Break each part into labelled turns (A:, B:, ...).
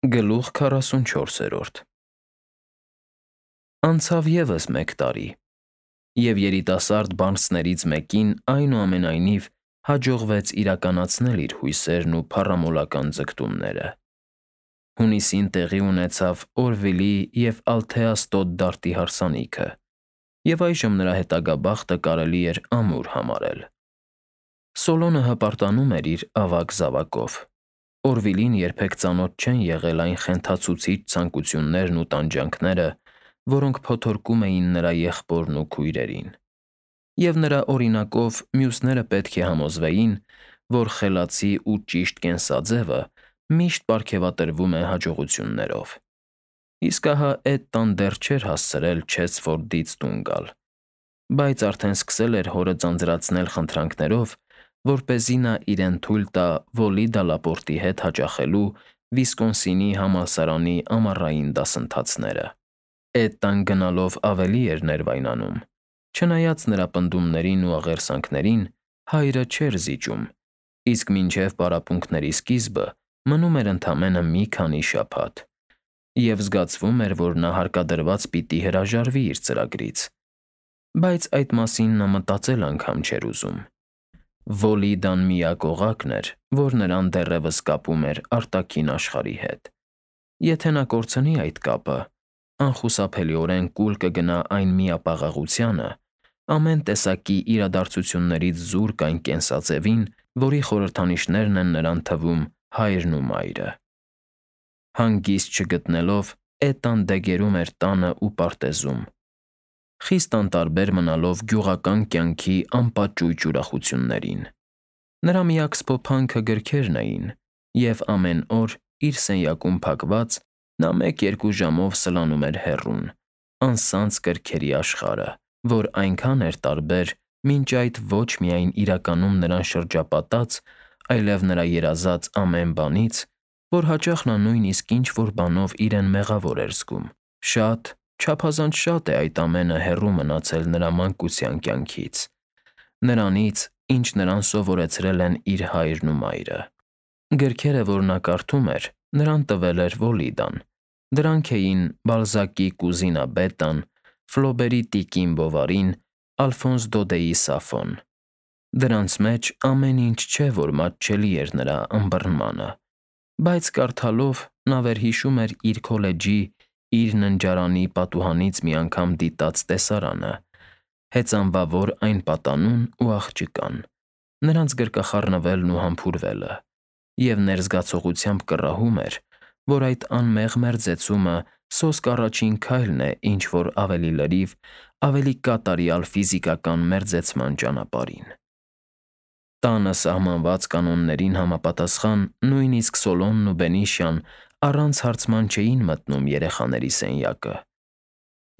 A: Գլուխ 44 Անցավ ևս 1 տարի, և երիտասարդ բարձներից մեկին այնուամենայնիվ հաջողվեց իրականացնել իր հույսերն ու փառամոլական ձգտումները։ Հունիսին տեղի ունեցավ Օրվիլի և Ալթեաս Տոդ դարդի հարսանիքը, և այժմ նրա հետագա բախտը կարելի էր ամուր համարել։ Սոլոնը հպարտանում էր իր ավագ զավակով։ Օրվիլին երբեք ծանոթ չեն եղել այն խենթացուցիչ ցանկություններն ու տանջանքները, որոնք փոթորկում էին նրա եղբորն ու քույրերին։ Եվ նրա օրինակով մյուսները պետք է համոզվեին, որ խելացի ու ճիշտ կենսաձևը միշտ պարգևատրվում է հաջողություններով։ Իսկ ահա Էդտան դեռ չէր հասցրել Չեսֆորդից տուն գալ, բայց արդեն սկսել էր հորը ձանձրացնել խնդրանքներով, որպեսզի նա իրեն թույլ տա Վոլի Դալապորտի հետ հաճախելու Վիսկոնսինի համալսարանի ամառային դասընթացները։ Էդտան գնալով ավելի էր ներվայնանում, չնայած նրա պնդումներին ու աղերսանքներին հայրը չէր զիջում, իսկ մինչև պարապմունքների սկիզբը մնում էր ընդամենը մի քանի շաբաթ, և զգացվում էր, որ նա հարկադրված պիտի հրաժարվի իր ծրագրից, բայց այդ մասին նա մտածել անգամ չէր ուզում։ Վոլի Դան միակ օղակն էր, որ նրան դեռևս կապում էր արտաքին աշխարհի հետ։ Եթե նա կորցնի այդ կապը, անխուսափելիորեն կուլ կգնա այն միապաղաղությանը, ամեն տեսակի իրադարձություններից զուրկ այն կենսաձևին, որի խորհրդանիշներն են նրան թվում հայրն ու մայրը։ Հանգիստ չգտնելով՝ Էդտան դեգերում էր տանը ու պարտեզում, խիստ անտարբեր մնալով գյուղական կյանքի անպատճույճ ուրախություններին։ Նրա միակ սփոփանքը գրքերն էին, և ամեն օր, իր սենյակում փակված, նա 1-2 ժամով սլանում էր հեռուն, անսանց գրքերի աշխարհը, որ այնքան էր տարբեր, մինչ այդ ոչ միայն իրականում նրան շրջապատած, այլև նրա երազած ամեն բանից, որ հաճախ նա նույնիսկ ինչ֊որ բանով իրեն մեղավոր էր զգում։ Շատ, չափազանց շատ է այդ ամենը հեռու մնացել նրա մանկության կյանքից, նրանից, ինչ նրան սովորեցրել են իր հայրն ու մայրը։ Գրքերը, որ նա կարդում էր, նրան տվել էր Վոլի Դան։ Դրանք էին Բալզակի Կուզինա Բետան, Ֆլոբերի Տիկին Բովարին, Ալֆոնս Դոդեի Սաֆոն։ Դրանց մեջ ամեն ինչ չէ, որ մատչելի էր նրա ըմբռնմանը, բայց կարդալով նա վերհիշում էր իր քոլեջի, իր ննջարանի պատուհանից մի անգամ դիտած տեսարանը, հեծանվավոր այն պատանուն ու աղջկան, նրանց գրկախառնվելն ու համբուրվելը, և ներզգացողությամբ կռահում էր, որ այդ անմեղ մերձեցումը սոսկ առաջին քայլն է ինչ֊որ ավելի լրիվ, ավելի կատարյալ ֆիզիկական մերձեցման ճանապարհին։ Տանը սահմանված կանոններին համապատասխան նույնիսկ Սոլոնն ու Բենիշյան առանց հարցման չէին մտնում երեխաների սենյակը,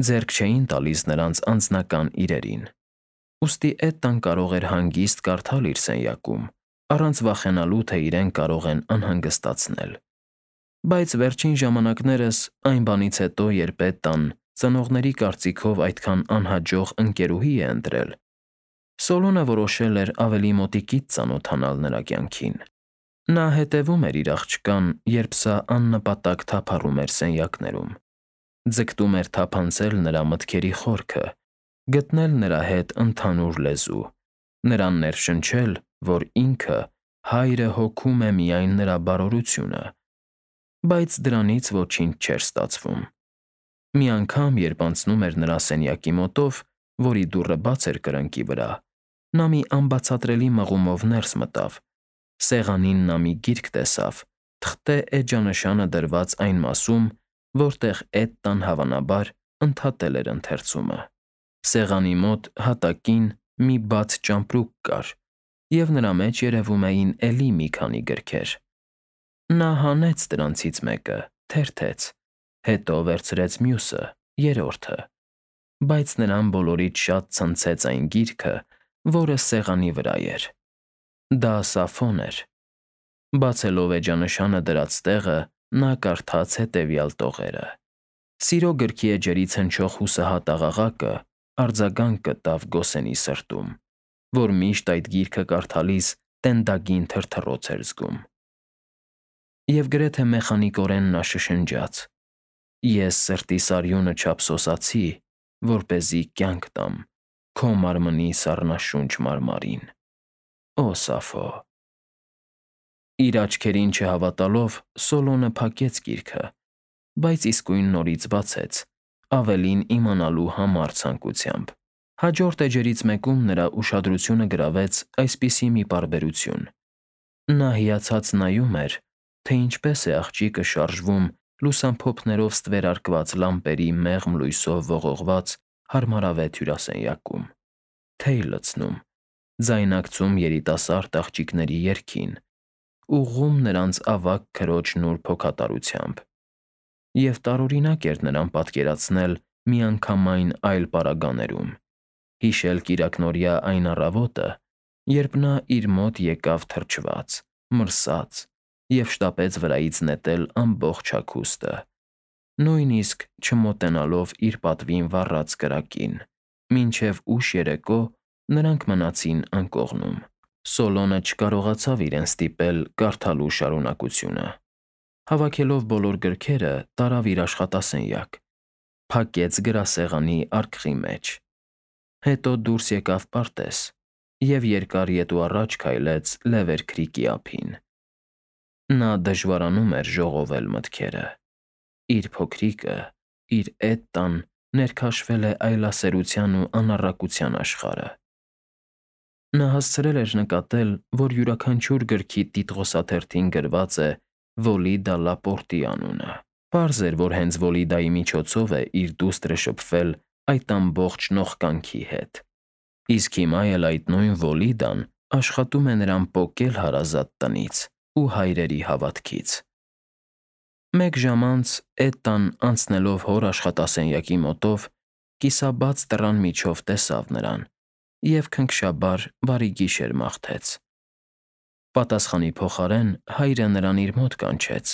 A: ձեռք չէին տալիս նրանց անձնական իրերին, ուստի Էդտան կարող էր հանգիստ կարդալ իր սենյակում, առանց վախենալու, թե իրեն կարող են անհանգստացնել։ Բայց վերջին ժամանակներս, այն բանից հետո, երբ Էդտան ծնողների կարծիքով այդքան անհաջող ընկերուհի է ընտրել, Սոլոնը որոշել էր ավելի մոտիկից ծանոթանալ նրա կյանքին։ Նա հետևում էր իր աղջկան, երբ սա աննպատակ թափառում էր սենյակներում, ձգտում էր թափանցել նրա մտքերի խորքը, գտնել նրա հետ ընդհանուր լեզու, նրան ներշնչել, որ ինքը, հայրը, հոգում է միայն նրա բարօրությունը, բայց դրանից ոչինչ չէր ստացվում։ Մի անգամ, երբ անցնում էր նրա սենյակի մոտով, որի դուռը բաց էր կրկնակի վրա, նա մի անբացատրելի մղումով ներս մտավ, սեղանին նա մի գիրք տեսավ, թղթե էջանշանը դրված այն մասում, որտեղ Էդտան հավանաբար ընդհատել էր ընթերցումը։ Սեղանի մոտ հատակին մի բաց ճամպրուկ կար, և նրա մեջ երևում էին էլի մի քանի գրքեր։ Նա հանեց դրանցից մեկը, թերթեց, հետո վերցրեց մյուսը, երրորդը, բայց նրան բոլորից շատ ցնցեց այն գիրքը, որը սեղանի վրա էր։ Դա Սաֆոն էր։ Բացելով էջանշանը դրած տեղը, նա կարդաց հետևյալ տողերը. Սիրո գրքի էջերից հնչող հուսահատ աղաղակը արձագանք գտավ Գոսենի սրտում, որ միշտ այդ գիրքը կարդալիս տենդագին թրթռոց էր զգում։ Եվ գրեթե մեխանիկորեն նա շշնջաց. «Ես սրտիս արյունը չափսոսացի, որպեսզի կյանք տամ քո մարմնի սառնաշունչ մարմարին»։ Օ Սաֆո։ Իր աչքերին չհավատալով Սոլոնը փակեց գիրքը, բայց իսկույն նորից բացեց, ավելին իմանալու համար ցանկությամբ։ Հաջորդ էջերից մեկում նրա ուշադրությունը գրավեց այսպիսի մի պարբերություն. նա հիացած նայում էր, թե ինչպես է աղջիկը շարժվում լուսամփոփներով ստվերարկված լամպերի մեղմ լույսով ողողված հարմարավետ հյուրասենյակում, թեյ լցնում, ձայնակցում երիտասարդ աղջիկների երգին, ուղղում նրանց ավագ քրոջ նուրբ հոգատարությամբ։ Եվ տարօրինակ էր նրան պատկերացնել միանգամայն այլ պարագաներում, հիշել կիրակնօրյա այն առավոտը, երբ նա իր մոտ եկավ թրջված, մրսած և շտապեց վրայից նետել ամբողջ հագուստը, նույնիսկ չմոտենալով իր պատվին վառած կրակին, մինչև ուշ երեկո նրանք մնացին անկողնում։ Սոլոնը չկարողացավ իրեն ստիպել կարդալու շարունակությունը։ Հավաքելով բոլոր գրքերը, տարավ իր աշխատասենյակ, փակեց գրասեղանի արկղի մեջ, հետո դուրս եկավ պարտեզ և երկար ետ ու առաջ քայլեց Լևեր քրիքի ափին։ Նա դժվարանում էր ժողովել մտքերը։ Իր փոքրիկը, իր Էտտան ներքաշվել է այլասերության ու անառակության աշխարհը։ Նա հասցրել էր նկատել, որ յուրաքանչյուր գրքի տիտղոսաթերթին գրված է Վոլիդա Լապորտի անունը։ Պարզ էր, որ հենց Վոլիդայի միջոցով է իր դուստրը շփվել այդ ամբողջ նողկանքի հետ։ Իսկ հիմա էլ այդ նույն Վոլիդան աշխատում է նրան պոկել հարազատ տնից ու հայրերի հավատքից։ Մեկ ժամ անց Էտտան, անցնելով հոր աշխատասենյակի մոտով, կիսաբաց դռան միջով տեսավ նրան և քնքշաբար բարի գիշեր մաղթեց։ Պատասխանի փոխարեն հայրը նրան իր մոտ կանչեց։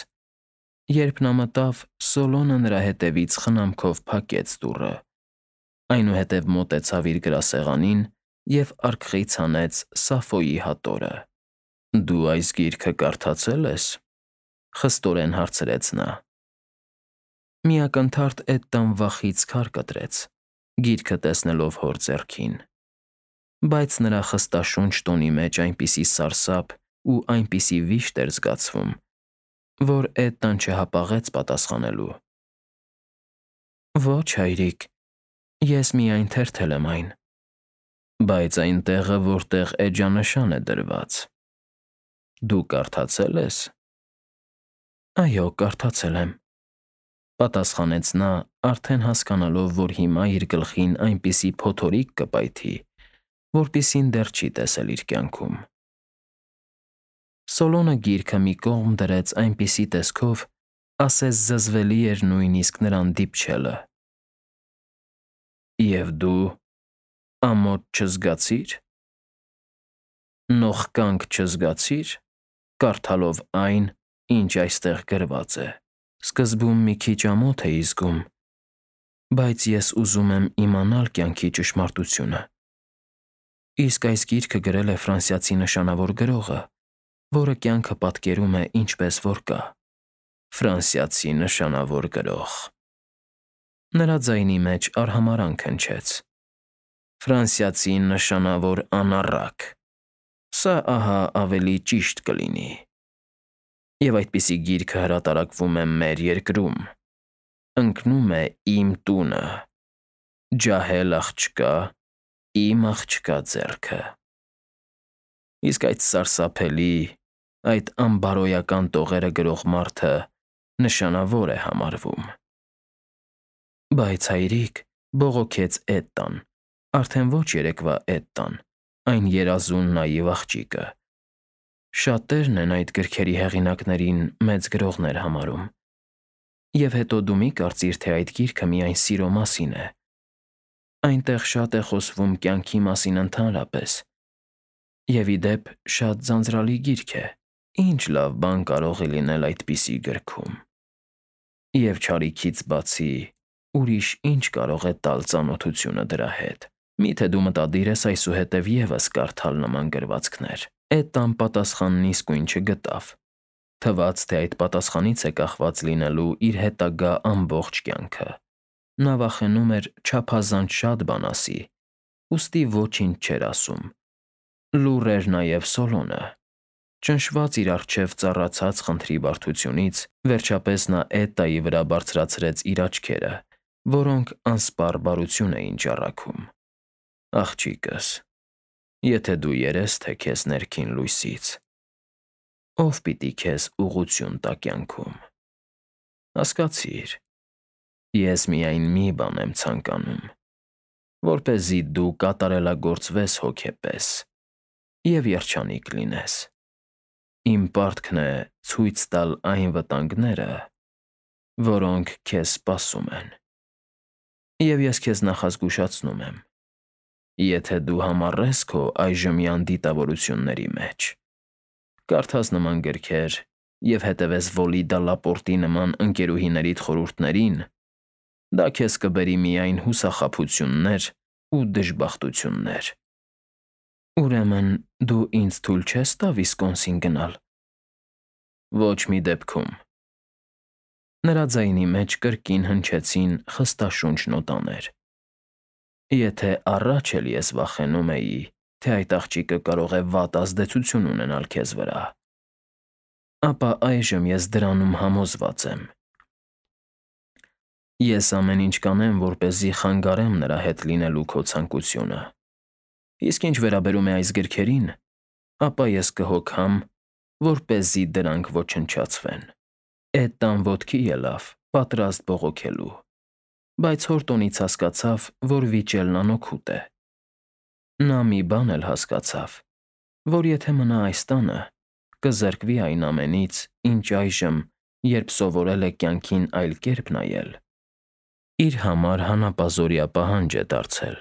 A: Երբ նա մտավ, Սոլոնը նրա հետևից խնամքով փակեց դուռը, այնուհետև մոտեցավ իր գրասեղանին և արկղից հանեց Սաֆոյի հատորը։ «Դու այս գիրքը կարդացե՞լ ես»։ խստորեն հարցրեց նա։ Մի ակնթարթ Էտտան վախից քար կտրեց, գիրքը տեսնելով հոր ձեռքին, բայց նրա խստաշունչ տոնի մեջ այնպիսի սարսափ ու այնպիսի վիշտ էր զգացվում, որ Էտտան չհապաղեց պատասխանելու։ Ոչ, հայրիկ, ես միայն թերթել եմ այն։ Բայց այն տեղը, որտեղ էջանշան է դրված, դու կարդացե՞լ ես։ Այո, կարդացել եմ, պատասխանեց նա, արդեն հասկանալով, որ հիմա իր գլխին այնպիսի փոթորիկ կպայթի, որպիսին դեռ չի տեսել իր կյանքում։ Սոլոնը գիրքը մի կողմ դրեց այնպիսի տեսքով, ասես զզվելի էր նույնիսկ նրան դիպչելը։ Եվ դու ամոթ չզգացի՞ր։ Նողկանք չզգացի՞ր, կարդալով այն, ինչ այստեղ գրված է։ Սկզբում մի քիչ ամոթ էի զգում, բայց ես ուզում եմ իմանալ կյանքի ճշմարտությունը։ Իսկ այս գիրքը գրել է ֆրանսիացի նշանավոր գրողը, որը կյանքը պատկերում է ինչպես որ կա։ Ֆրանսիացի նշանավոր գրող։ Նրա ձայնի մեջ արհամարհանք հնչեց։ Ֆրանսիացի նշանավոր անառակ։ Սա ահա ավելի ճիշտ կլինի։ Եվ այդպիսի գիրքը հրատարակվում է մեր երկրում։ Ընկնում է իմ տունը։ Ջահել աղջկա, իմ աղջկա ձեռքը։ Իսկ այդ սարսափելի, այդ անբարոյական տողերը գրող մարդը նշանավոր է համարվում։ Բայց հայրիկ, բողոքեց Էտտան, արդեն ոչ երեկվա Էտտան, այն երազուն նաիվ աղջիկը։ Շատերն են այդ գրքերի հեղինակներին մեծ գրողներ համարում։ Եվ հետո դու մի կարծիր, թե այդ գիրքը միայն սիրո մասին է։ Այնտեղ շատ է խոսվում կյանքի մասին ընդհանրապես։ Եվ ի դեպ, շատ ձանձրալի գիրք է։ Ինչ լավ բան կարող է լինել այդպիսի գրքում։ Եվ չարիքից բացի, ուրիշ ինչ կարող է տալ ծանոթությունը դրա հետ։ Միթե դու մտադիր ես այսուհետև ևս կարդալ նման գրվածքներ։ Էտտան պատասխանն իսկույն չգտավ։ Թվաց, թե այդ պատասխանից է կախված լինելու իր հետագա ամբողջ կյանքը։ Նա վախենում էր չափազանց շատ բան ասի, ուստի ոչինչ չէր ասում։ Լուռ էր նաև Սոլոնը։ Ճնշված իր առջև ծառացած խնդրի բարդությունից, վերջապես նա Էտայի վրա բարձրացրեց իր աչքերը, որոնք անսպառ բարություն էին ճառագում։ Աղջիկս, եթե դու երես թե քեզ ներքին լույսից, ով պիտի քեզ ուղղություն տա կյանքում։ Հասկացիր, ես միայն մի բան եմ ցանկանում, որպեսզի դու կատարելագործվես հոգեպես և երջանիկ լինես։ Իմ պարտքն է ցույց տալ այն վտանգները, որոնք քեզ սպասում են։ Եվ ես քեզ նախազգուշացնում եմ. եթե դու համառես քո այժմյան դիտավորությունների մեջ, կարդաս նման գրքեր և հետևես Վոլիդա Լապորտի նման ընկերուհիներիդ խորհուրդներին, դա քեզ կբերի միայն հուսախաբություններ ու դժբախտություններ։ Ուրեմն դու ինձ թույլ չես տա Վիսկոնսին գնալ։ Ոչ մի դեպքում։ Նրա ձայնի մեջ կրկին հնչեցին խստաշունչ նոտաներ։ Եթե առաջ էլ ես վախենում էի, թե այդ աղջիկը կարող է վատ ազդեցություն ունենալ քեզ վրա, ապա այժմ ես դրանում համոզված եմ։ Ես ամեն ինչ կանեմ, որպեսզի խանգարեմ նրա հետ լինելու քո ցանկությունը։ Իսկ ինչ վերաբերում է այս գրքերին, ապա ես կհոգամ, որպեսզի դրանք ոչնչացվեն։ Էտան ոտքի ելավ, պատրաստ բողոքելու, բայց հոր տոնից հասկացավ, որ վիճելն անօգուտ է։ Նա մի բան էլ հասկացավ, որ եթե մնա այս տանը, կզրկվի այն ամենից, ինչ այժմ, երբ սովորել է կյանքին այլ կերպ նայել, իր համար հանապազօրյա պահանջ է դարձել։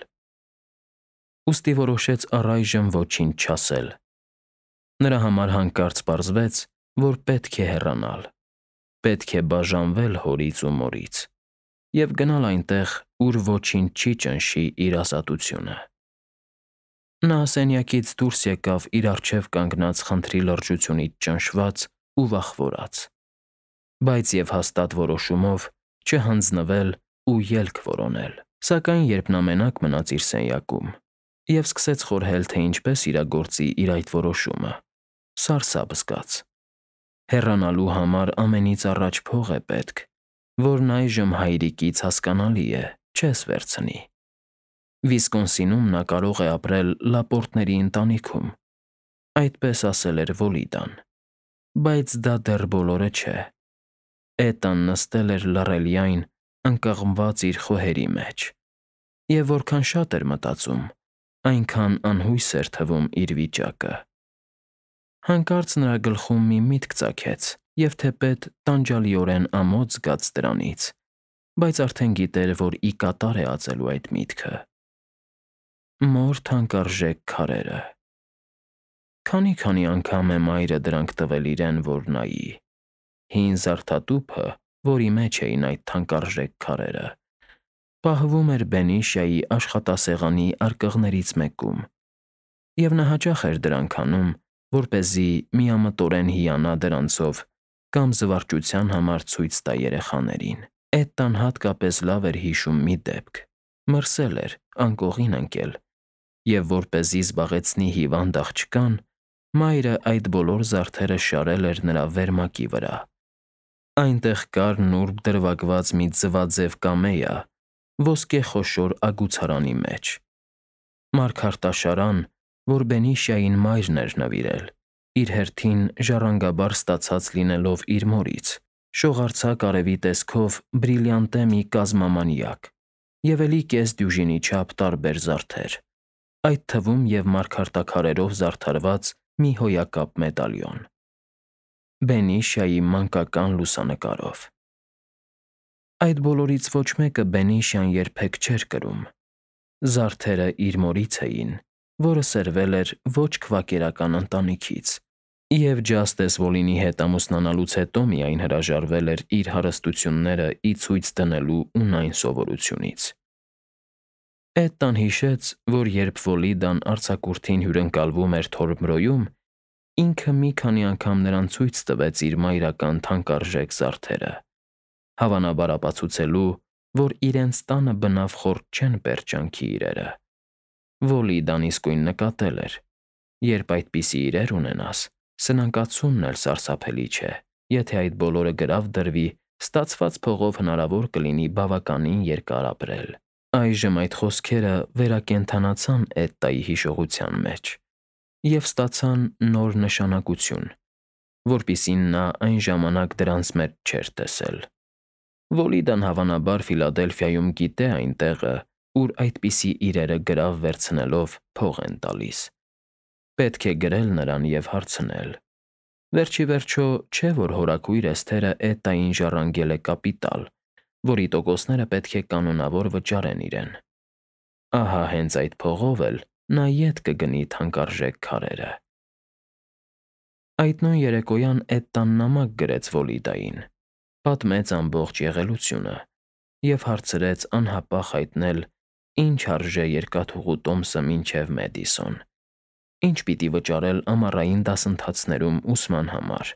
A: Ուստի որոշեց առայժմ ոչինչ չասել։ Նրա համար հանկարծ պարզվեց, որ պետք է հեռանալ, պետք է բաժանվել հորից ու մորից և գնալ այնտեղ, ուր ոչինչ չի ճնշի իր ազատությունը։ Նա սենյակից դուրս եկավ իր առջև կանգնած խնդրի լրջությունից ճնշված ու վախվորած, բայց և հաստատ որոշումով չհանձնվել ու ելք որոնել։ Սակայն երբ նա մենակ մնաց իր սենյակում և սկսեց խորհել, թե ինչպես իրագործի իր այդ որոշումը, սարսափ զգաց։ Հեռանալու համար ամենից առաջ փող է պետք, որն այժմ հայրիկից հասկանալի է, չես վերցնի։ Վիսկոնսինում նա կարող է ապրել Լապորտների ընտանիքում, այդպես ասել էր Վոլիդան, բայց դա դեռ բոլորը չէ։ Էտան նստել էր լռելյայն, ընկղմված իր խոհերի մեջ, և որքան շատ էր մտածում, այնքան անհույս էր թվում իր վիճակը։ Հանկարծ նրա գլխում մի միտք ծագեց, և թեպետ տանջալիորեն ամոթ զգաց դրանից, բայց արդեն գիտեր, որ ի կատար է ածելու այդ միտքը։ Մոր թանկարժեք քարերը։ Քանի անգամ է մայրը դրանք տվել իրեն, որ նայի։ Հին զարդատուփը, որի մեջ էին այդ թանկարժեք քարերը, պահվում էր Բենիշիայի աշխատասեղանի արկղներից մեկում, և նա հաճախ էր դրանք անում, որպեսզի միամտորեն հիանա դրանցով կամ զվարճության համար ցույց տա երեխաներին։ Էտան հատկապես լավ էր հիշում մի դեպք։ Մրսել էր, անկողին ընկել, և որպեսզի զբաղեցնի հիվանդ աղջկան, մայրը այդ բոլոր զարդերը շարել էր նրա վերմակի վրա։ Այնտեղ կար նուրբ դրվագված մի ձվաձև կամեա ոսկե խոշոր ագուցարանի մեջ։ Մարգարտաշարան, որ Բենիշիային մայրն էր նվիրել, իր հերթին ժառանգաբար ստացած լինելով իր մորից, շողարձակ արևի տեսքով բրիլյանտե մի կազմամանյակ և էլի կես դյուժինի չափ տարբեր զարդեր, այդ թվում և մարգարտաքարերով զարդարված մի հոյակապ մեդալիոն։ Բենիշիայի մանկական լուսանկարով։ Այդ բոլորից ոչ մեկը Բենիշիան երբեք չէր կրում։ Զարդերը իր մորից էին, որը սերվել էր ոչ քվակերական ընտանիքից, և Ջաստես Վոլինի հետ ամուսնանալուց հետո միայն հրաժարվել էր իր հարստությունները ի ցույց դնելու ունայն սովորությունից։ Էտան հիշեց, որ երբ Վոլիդան արձակուրդին հյուրընկալվում էր Թորմրոյում, ինքը մի քանի անգամ նրան ցույց տվեց իր մայրական թանկարժեք զարդերը, հավանաբար ապացուցելու, որ իրենց տանը բնավ խորտ չեն պերճանքի իրերը։ Վոլիդան իսկույն նկատել էր. երբ այդպիսի իրեր ունենաս, սնանկացումն էլ սարսափելի չէ, եթե այդ բոլորը գրավ դրվի, ստացված փողով հնարավոր կլինի բավականին երկար ապրել։ Այժմ այդ խոսքերը վերակենդանացան Էդտայի հիշողության մեջ և ստացան նոր նշանակություն, որպիսին նա այն ժամանակ դրանց մեջ չէր տեսել։ Վոլիդան հավանաբար Ֆիլադելֆիայում գիտե այն տեղը, ուր այդպիսի իրերը գրավ վերցնելով փող են տալիս։ Պետք է գրել նրան և հարցնել։ Վերջ ի վերջո, չէ՞ որ հորաքույր Էսթերը Էդտային ժառանգել է կապիտալ, որի տոկոսները պետք է կանոնավոր վճարեն իրեն։ Ահա հենց այդ փողով էլ նա ետ կգնի թանկարժեք քարերը։ Այդ նույն երեկոյան Էդտան նամակ գրեց Վոլիդային, պատմեց ամբողջ եղելությունը և հարցրեց անհապաղ հայտնել, ինչ արժե երկաթուղու տոմսը մինչև Մեդիսոն, ինչ պիտի վճարել ամառային դասընթացներում ուսման համար,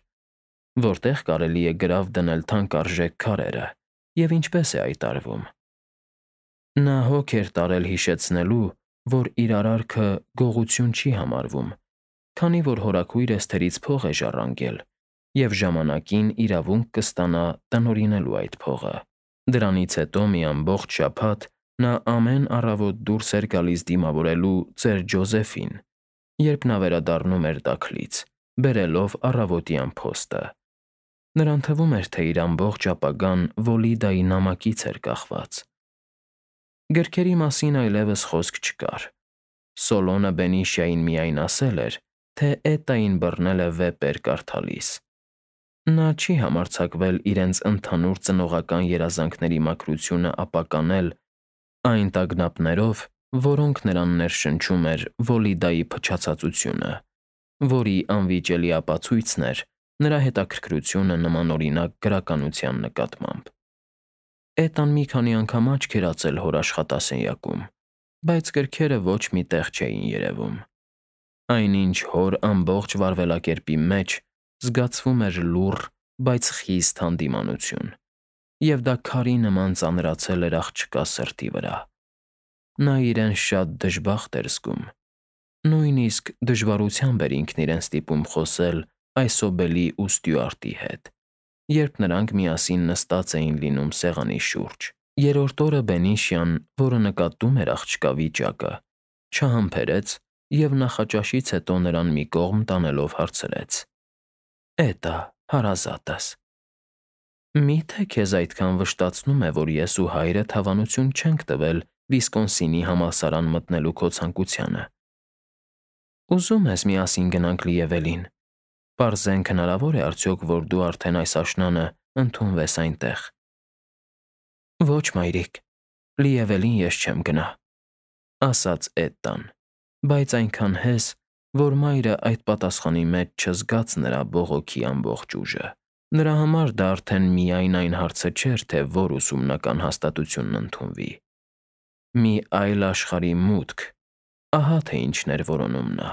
A: որտեղ կարելի է գրավ դնել թանկարժեք քարերը և ինչպես է այդ արվում։ Նա հոգ էր տարել հիշեցնելու, որ իր արարքը գողություն չի համարվում, քանի որ հորաքույր Էսթերից փող է ժառանգել և ժամանակին իրավունք կստանա տնօրինելու այդ փողը։ Դրանից հետո մի ամբողջ շաբաթ նա ամեն առավոտ դուրս էր գալիս դիմավորելու ծեր Ջոզեֆին, երբ նա վերադառնում էր դաքլից, բերելով առավոտյան փոստը։ Նրան թվում էր, թե իր ամբողջ ապագան Վոլիդայի նամակից էր կախված։ Գրքերի մասին այլևս խոսք չկար։ Սոլոնը Բենիշիային միայն ասել էր, թե Էդտային բռնել է վեպեր կարդալիս։ Նա չի համարձակվել իրենց ընդհանուր ծնողական երազանքների մաքրությունը ապականել այն տագնապներով, որոնք նրան ներշնչում էր Վոլիդայի փչացածությունը, որի անվիճելի ապացույցն էր նրա հետաքրքրությունը նմանօրինակ գրականության նկատմամբ։ Էդտան մի քանի անգամ աչք էր ածել հոր աշխատասենյակում, բայց գրքերը ոչ մի տեղ չէին երևում։ Այնինչ հոր ամբողջ վարվելակերպի մեջ զգացվում էր լուռ, բայց խիստ հանդիմանություն, և դա քարի նման ծանրացել էր աղջկա սրտի վրա։ Նա իրեն շատ դժբախտ էր զգում։ Նույնիսկ դժվարությամբ էր ինքն իրեն ստիպում խոսել Այսոբելի ու Ստյուարտի հետ, երբ նրանք միասին նստած էին լինում սեղանի շուրջ։ Երրորդ օրը Բենիշիան, որը նկատում էր աղջկա վիճակը, չհամբերեց և նախաճաշից հետո նրան մի կողմ տանելով հարցրեց. «Էդա, հարազատս, մի՞թե քեզ այդքան վշտացնում է, որ ես ու հայրդ հավանություն չենք տվել Վիսկոնսինի համալսարան մտնելու քո ցանկությանը։ Ուզում ես միասին գնանք Լիևելին, պարզենք հնարավոր է արդյոք, որ դու արդեն այս աշնանը ընդունվես այնտեղ»։ Ոչ, մայրիկ, Լիևելին ես չեմ գնա, ասաց Էդտան, բայց այնքան հեզ, որ մայրը այդ պատասխանի մեջ չզգաց նրա բողոքի ամբողջ ուժը։ Նրա համար դա արդեն միայն այն հարցը չէր, թե որ ուսումնական հաստատությունն ընդունվի։ Մի այլ աշխարհի մուտք, ահա թե ինչն էր որոնում նա,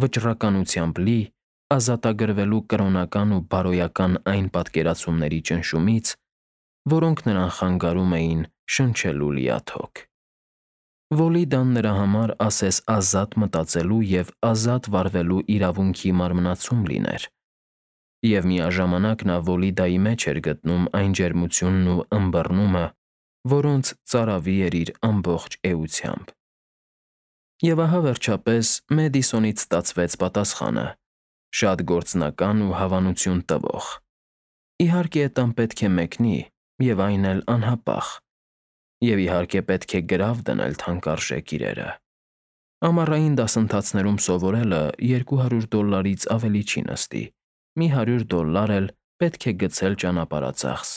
A: վճռականությամբ լի, ազատագրվելու կրոնական ու բարոյական այն պատկերացումների ճնշումից, որոնք նրան խանգարում էին շնչելու լիաթոք։ Վոլիդան նրա համար ասես ազատ մտածելու և ազատ վարվելու իրավունքի մարմնացում լիներ, և միաժամանակ նա Վոլիդայի մեջ էր գտնում այն ջերմությունն ու ըմբռնումը, որոնց ծարավի էր իր ամբողջ էությամբ։ Եվ ահա վերջապես Մեդիսոնից ստացվեց պատասխանը, շատ գործնական ու հավանություն տվող։ Իհարկե Էդտան պետք է մեկնի, և այն էլ անհապաղ, և իհարկե պետք է գրավ դնել թանկարժեք իրերը։ Ամառային դասընթացներում սովորելը $200-ից ավելի չի նստի, մի $100 էլ պետք է գցել ճանապարհածախս,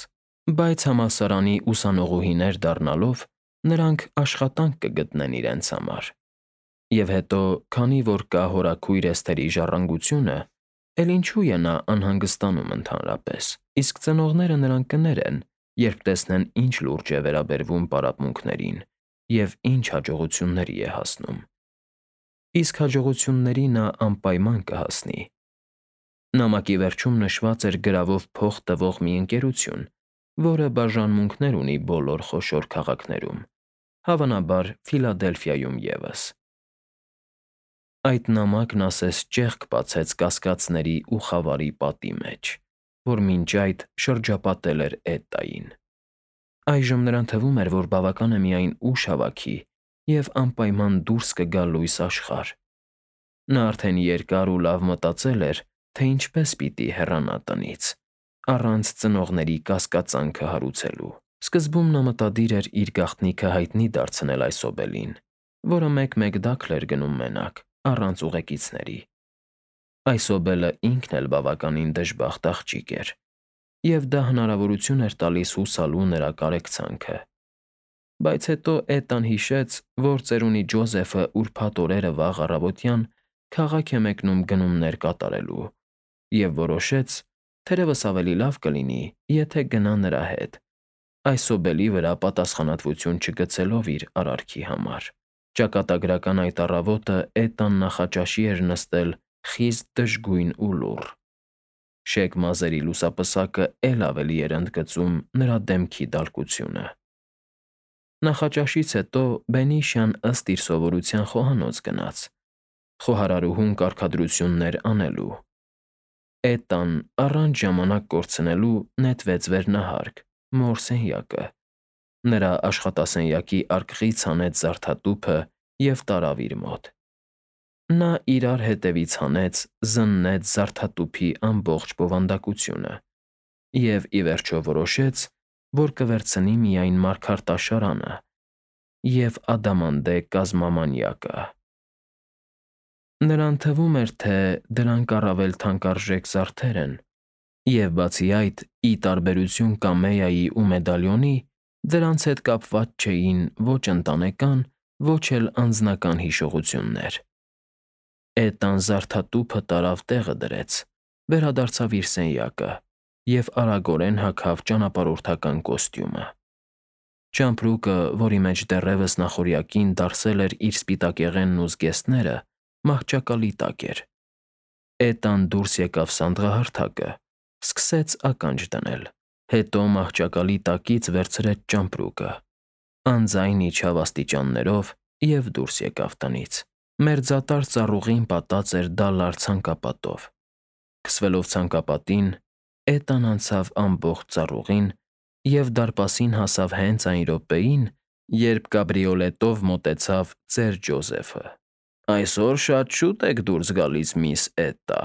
A: բայց համալսարանի ուսանողուհիներ դառնալով նրանք աշխատանք կգտնեն իրենց համար։ Եվ հետո, քանի որ կա հորաքույր Էսթերի ժառանգությունը, էլ ինչու է նա անհանգստանում ընդհանրապես, իսկ ծնողները նրան կներեն, երբ տեսնեն ինչ լուրջ է վերաբերվում պարապմունքներին և ինչ հաջողությունների է հասնում։ Իսկ հաջողությունների նա անպայման կհասնի, Նամակի վերջում նշված էր գրավով փող տվող մի ընկերություն, որը բաժանմունքներ ունի բոլոր խոշոր քաղաքներում, հավանաբար Ֆիլադելֆիայում ևս։ Այդ նամակն ասես ճեղք բացեց կասկածների ու խավարի պատի մեջ, որ մինչ այդ շրջապատել էր Էտային։ Այժմ նրան թվում էր, որ բավական է միայն ուժ հավաքի և անպայման դուրս կգա լույս աշխարհ։ Նա արդեն երկար ու լավ մտածել էր, թե ինչպես պիտի հեռանա տնից, առանց ծնողների կասկածանքը հարուցելու։ Սկզբում նա մտադիր էր իր գաղտնիքը հայտնի դարձնել այս օբելին, որը մեկ-մեկ դաքլ էր գնում մենակ, առանց ուղեկիցների։ Այս օբելը ինքն էլ բավականին դժբախտ աղջիկ էր, և դա հնարավորություն էր տալիս հուսալու նրա կարեկցանքը։ Բայց հետո Էտան հիշեց, որ ծերունի Ջոզեֆը ուրբաթ օրերը վաղ առավոտյան քաղաք է մեկնում գնումներ կատարելու և որոշեց, թերևս ավելի լավ կլինի, եթե գնա նրա հետ, այս օբելի վրա պատասխանատվություն չգցելով իր արարքի համար։ Ճակատագրական այդ առավոտը Էտան նախաճաշի էր նստել խիստ դժգույն ու լուռ։ Շեկ մազերի լուսապսակը էլ ավելի էր ընդգծում նրա դեմքի դալկությունը։ Նախաճաշից հետո Բենիշյան ըստ իր սովորության խոհանոց գնաց, խոհարարուհուն կարգադրություններ անելու։ Էտան, առանց ժամանակ կորցնելու, նետվեց վերնահարկ, մոր սենյակը, նրա աշխատասենյակի արկղից հանեց զարդատուփը և տարավ իր մոտ։ Նա իրար հետևից հանեց, զննեց զարդատուփի ամբողջ բովանդակությունը և, ի վերջո, որոշեց, որ կվերցնի միայն մարգարտաշարանը և ադամանդե կազմամանյակը։ Նրան թվում էր, թե դրանք առավել թանկարժեք զարդեր են, և, բացի այդ, ի տարբերություն կամեայի ու մեդալիոնի, դրանց հետ կապված չէին ոչ ընտանեկան, ոչ էլ անձնական հիշողություններ։ Էտան զարդատուփը տարավ տեղը դրեց, վերադարձավ իր սենյակը և արագորեն հագավ ճանապարհորդական կոստյումը։ Ճամպրուկը, որի մեջ դեռևս նախօրյակին դարսել էր իր սպիտակեղենն ու զգեստները, մահճակալի տակ էր։ Էտան դուրս եկավ սանդղահարթակը, սկսեց ականջ դնել, հետո մահճակալի տակից վերցրեց ճամպրուկը, անձայն իջավ աստիճաններով և դուրս եկավ տնից։ Մերձատար ծառուղին պատած էր դալար ցանկապատով։ Քսվելով ցանկապատին՝ Էտան անցավ ամբողջ ծառուղին և դարպասին հասավ հենց այն րոպեին, երբ կաբրիոլետով մոտեցավ ծեր Ջոզեֆը։ «Այսօր շատ շուտ եք դուրս գալիս, միս Էտա»,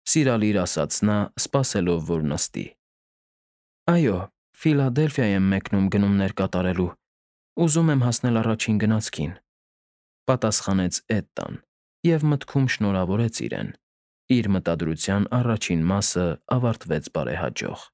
A: սիրալիր ասաց նա, սպասելով, որ նստի։ «Այո, Ֆիլադելֆիա եմ մեկնում գնումներ կատարելու, ուզում եմ հասնել առաջին գնացքին», պատասխանեց Էտան և մտքում շնորհավորեց իրեն։ Իր մտադրության առաջին մասը ավարտվեց բարեհաջող։